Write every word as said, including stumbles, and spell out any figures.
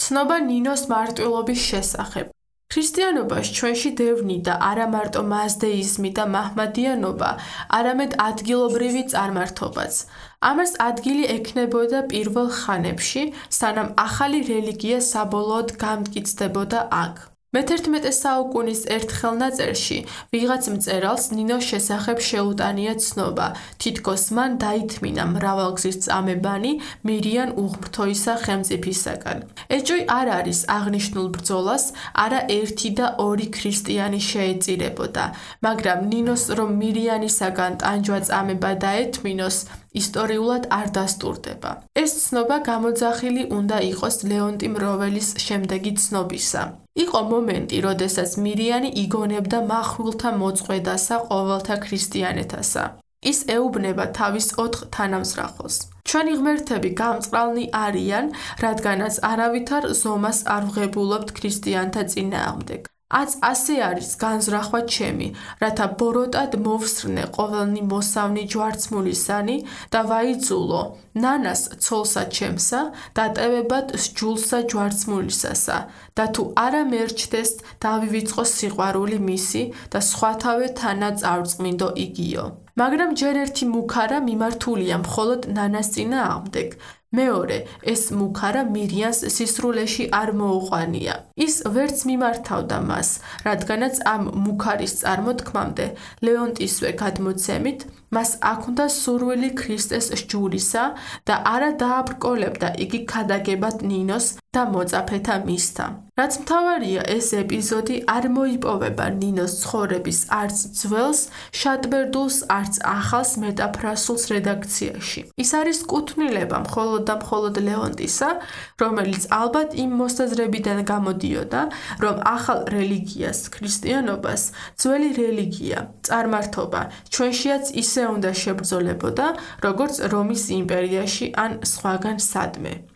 ცნობა ნინოს მარტვილობის შესახებ. ქრისტიანობას ჩვენში დევნიდა არა მარტო მაზდეიზმი და მაჰმადიანობა, არამედ ადგილობრივი წარმართობაც. ამას ადგილი ექნებოდა პირველ ხანებში, სანამ ახალი რელიგია საბოლოოდ გამტკიცდებოდა აქ. მეთერთმეტე საუკუნის ერთ ხელნაწერში ვიღაც მწერალს ნინოს შესახებ შეუტანია ცნობა, თითქოს მან დაითმინა მრავალგზის წამებანი მირიან უღმრთოისა ხელმწიფისაგან. ეჭვი არ არის აღნიშნულ ბრძოლას არა ერთი და ორი ქრისტიანი შეეწირებოდა, მაგრამ ნინოს რომ მირიანისაგან ტანჯვა წამება დაეთმინოს, ისტორიულად არ დასტურდება. ეს ცნობა გამოძახილი უნდა იყოს ლეონტი მროველის შემდეგი ცნობისა. იყო მომენტი, როდესაც მირიანი იგონებდა მახვილთა მოწყვეტასა ყოველთა ქრისტიანეთასა. ის ეუბნება თავის ოთხ თანამზრახელს. ჩვენი ღმერთები გამწყრალნი არიან, რადგანაც არავითარ ზომას არ ვღებულობთ ქრისტიანთა წინააღმდეგ. აც ასე არის განზრახვა ჩემი, რათა ბოროტად მოვსრნე ყოველნი მოსავნი ჯვარცმულისანი და ვაიძულო ნანას ცოლსა ჩემსა დატევებად სჯულსა ჯვარცმულისასა და თუ არა მერჩდეს დავივიწყო სიყვარული მისი და სხვათავე თანა წარწმინდო იგიო. მაგრამ ჯერ ერთი მუქარა მიმართულია მხოლოდ ნანას წინააღმდეგ. მეორე, ეს მუქარა მირიანს სისრულეში არ მოუყვანია. ის ვერც მიმართავდა მას, რადგანაც ამ მუქარის წარმოთქმამდე ლეონტისვე გადმოცემით, მას აქ-უნდა სურვილი ქრისტეს სჯულისა და არა დააბრკოლებდა იგი ქადაგებად ნინოს და მოწაფეთა მისთა. რაც მთავარია, ეს ეპიზოდი არ მოიპოვება ნინოს ცხოვრების არც ძველს, შატბერდულს, არც ახალს მეტაფრასულს რედაქციაში. ის არის კუთვნილება მხოლოდ და მხოლოდ ლეონტისა, რომელიც ალბათ იმ მოსაზრებიდან გამოდიოდა, რომ ახალ რელიგიას, ქრისტიანობას, ძველი რელიგია, წარმართობა ჩვენშიაც ისე უნდა შებრძოლებოდა, როგორც რომის იმპერიაში ან სხვაგან სადმე.